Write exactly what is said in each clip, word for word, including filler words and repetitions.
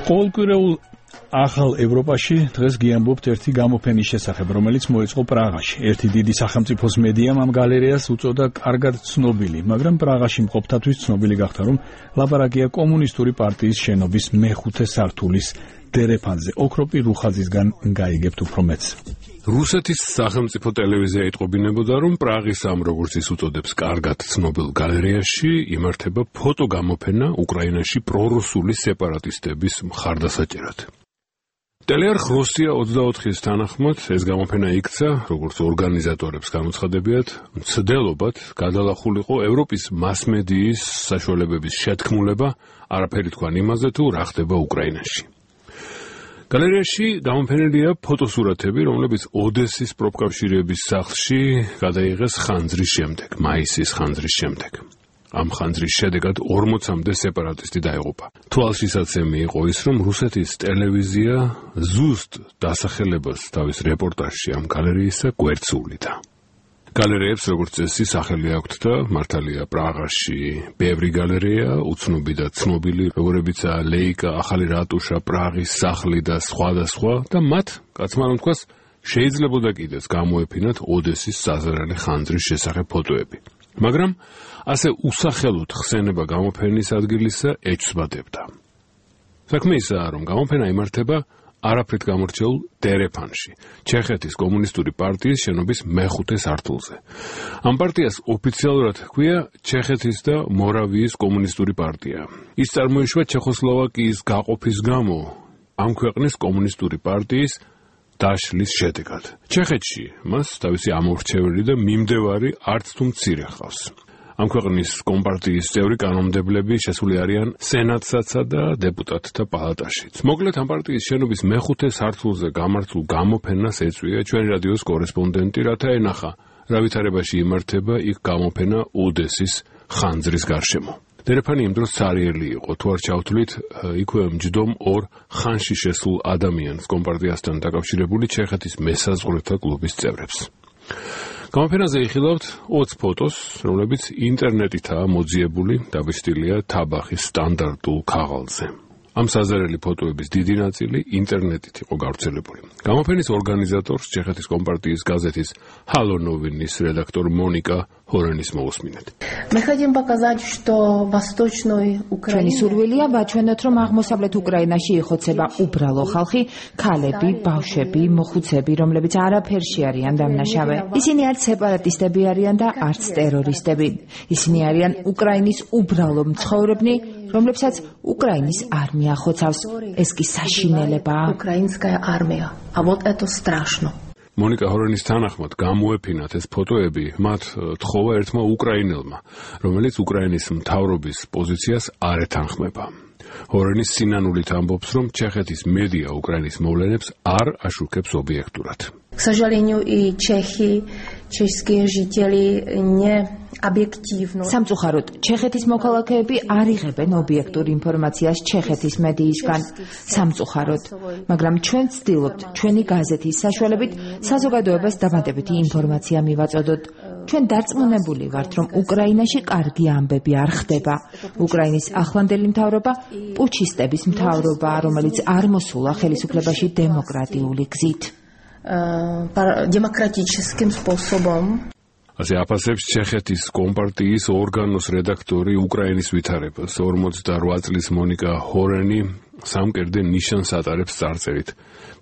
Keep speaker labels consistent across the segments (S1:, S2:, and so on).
S1: ყოველკვირეულ ახალ ევროპაში დღეს გიამბობთ ერთი გამოფენის შესახებ, რომელიც მოეწყო პრაღაში. ერთი დიდი სახელმწიფოს მედიამ ამ გალერეას უწოდა კარგად ცნობილი, მაგრამ პრაღაში მყოფთათვის ცნობილი გახდა, რომ ლაპარაკია კომუნისტური პარტიის შენობის მეხუთე სართულის დერეფანზე. ოქროპი რუხაძისგან გაიგებთ უფრო მეტს.
S2: რუსეთის სახელმწიფო ტელევიზია იტყობინებოდა, რომ პრაღის ამ, როგორც ის უწოდებს, კარგად ცნობილ გალერეაში იმართება ფოტოგამოფენა უკრაინაში პრორუსული სეპარატისტების მხარდასაჭერად. ტელეარხ რუსია ოცდაოთხის თანახმად ეს გამოფენა იქცა, როგორც ორგანიზატორებს გამოცხადებიათ, მცდელობად გადალახულიყო ევროპის მასმედიის საშუალებების შეთქმულება, არაფერი თქვან იმაზე, თუ რა ხდება უკრაინაში. გალერეაში გამოფენილია ფოტოსურათები, რომლებიც ოდესის პროფკავშირების სახლში გადაიღეს ხანძრის შემდეგ, მაისის ხანძრის შემდეგ. ამ ხანძრის შედეგად ორმოცამდე სეპარატისტი დაეღუპა. თვალშისაცემი იყო ის, რომ რუსეთის ტელევიზია ზუსტ დასახელებას თავის რეპორტაჟში ამ გალერეისა გვერდსუვლიდა. გალერეებს, როგორც წესი, სახელი აქვთ და მართალია პრაღაში ბევრი გალერეა, უცნობი და ცნობილი, როგორებიცაა ლეიკა, ახალი რატუშა, პრაღის სახლი და სხვა და სხვა და მათ, კაცმა რომ თქვას, შეიძლებოდა კიდეც გამოეფინათ ოდესის საზარალი ხანძრის შესახებ ფოტოები. მაგრამ ასე უსახელოდ ხსენება გამოფენის ადგილისა ეჩვდებოდა. საქმე ისაა, რომ გამოფენა იმართება არაფრით გამორჩეულ დერეფანში, ჩეხეთის კომუნისტური პარტიის შენობის მეხუთე სართულზე. ამ პარტიას ოფიციალურად ჰქვია ჩეხეთის და მორავიის კომუნისტური პარტია. ის წარმოიშვა ჩეხოსლოვაკიის გაყოფის გამო ამ ქვეყნის კომუნისტური პარტიის დაშლის შედეგად. ჩეხეთში მას თავისი ამორჩეველი და მიმდევარი არც თუ მცირე ჰყავს. ამ ქვეყნის კომპარტიის წევრი კანონმდებლები შესული არიან სენატსა და დეპუტატთა პალატაშიც. მოკლედ ამ პარტიის შენობის მეხუთე სართულზე გამართულ გამოფენას ეწვია ჩვენი რადიოს კორესპონდენტი, რათა ენახა რა ვითარებაში იმართება იქ გამოფენა ოდესის ხანძრის გარშემო. დერეფანი იმ დროს ცარიელი იყო, თუ არ ჩავთვლით, იქვე მჯდომ ორ ხანში შესულ ადამიანს კომპარტიასთან დაკავშირებული ჩეხეთის მესაზღვრეთა კლუბის წევრებს. გამოფენაზე იხილავთ ოცი ფოტოს, რომლებიც ინტერნეტითაა მოძიებული, დაბეჭდილია თაბახის სტანდარტულ ქაღალდზე. ამ საზარელი ფოტოების დიდი ნაწილი ინტერნეტით იყო გავრცელებული. გამოფენის ორგანიზატორს ჩეხეთის კომპარტიის გაზეთის Halo Novinis რედაქტორ მონიკა ჰორენის მოусმინეთ.
S3: Мы хотим показать, что восточной Украине
S4: სურვილია ვაჩვენოთ, რომ აღმოსავლეთ უკრაინაში იხოცება უბრალო ხალხი, ქალები, ბავშვები, მოხუცები, რომლებიც არაფერში არიან დამნაშავე. ისინი არც სეპარატისტები არიან და არც ტერორისტები. ისინი არიან უკრაინის უბრალო მცხოვრებნი, რომლებსაც უკრაინის არმია ხოცავს. ეს კი საშინელებაა.
S3: Украинская армия. А вот это страшно.
S2: მონიკა ჰორენის თანახმად გამოეფინათ ეს ფოტოები მათ თხოვა ერთმა უკრაინელმა, რომელიც უკრაინის მთავრობის პოზიციას არ ეთანხმება. ჰორენის სინანულით ამბობს, რომ ჩეხეთის მედია უკრაინის მოვლენებს არ აშუქებს ობიექტურად.
S3: К сожалению, и чехи, чешские жители не объективно.
S4: სამწუხაროდ, ჩეხეთის მოქალაქეები არ იღებენ ობიექტურ ინფორმაციას ჩეხეთის მედიისგან. სამწუხაროდ, მაგრამ ჩვენ ვცდილობთ ჩვენი გაზეთის საშუალებით საზოგადოებას დამატებითი ინფორმაცია მივაწოდოთ. ჩვენ დარწმუნებული ვართ, რომ უკრაინაში კარგი ამბები არ ხდება. უკრაინის ახლანდელი მთავრობა პუჩისტების მთავრობა, რომელიც არ მოსულა ხელისუფლებაში დემოკრატიული გზით.
S3: демократическим способом.
S2: ასე აფასებს ჩეხეთის კომპარტიის ორგანოს რედაქტორი უკრაინის ვითარებას. ორმოცდაოთხ წლის მონიკა ჰორენი სამკერდე ნიშანს ატარებს წარწერით.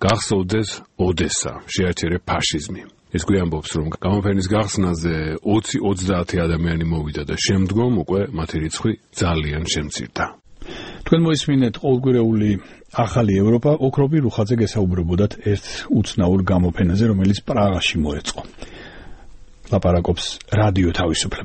S2: გახსოვდეს ოდესა, შეაჩერე ფაშიზმი. ის გვიამბობს, რომ გამოფენის გახსნაზე ოცი ოცდაათი ადამიანი მოვიდა და შემდგომ უკვე მათი რიცხვი ძალიან შემცირდა.
S1: თქვენ მოისმინეთ ყოველკვირეული ახალი ევროპა, ოქროპი რუხაძე გესაუბრებოდათ ერთ უცნაურ გამოფენაზე, რომელიც პრაღაში მოეწყო. ლაპარაკობს რადიო თავისუფლება.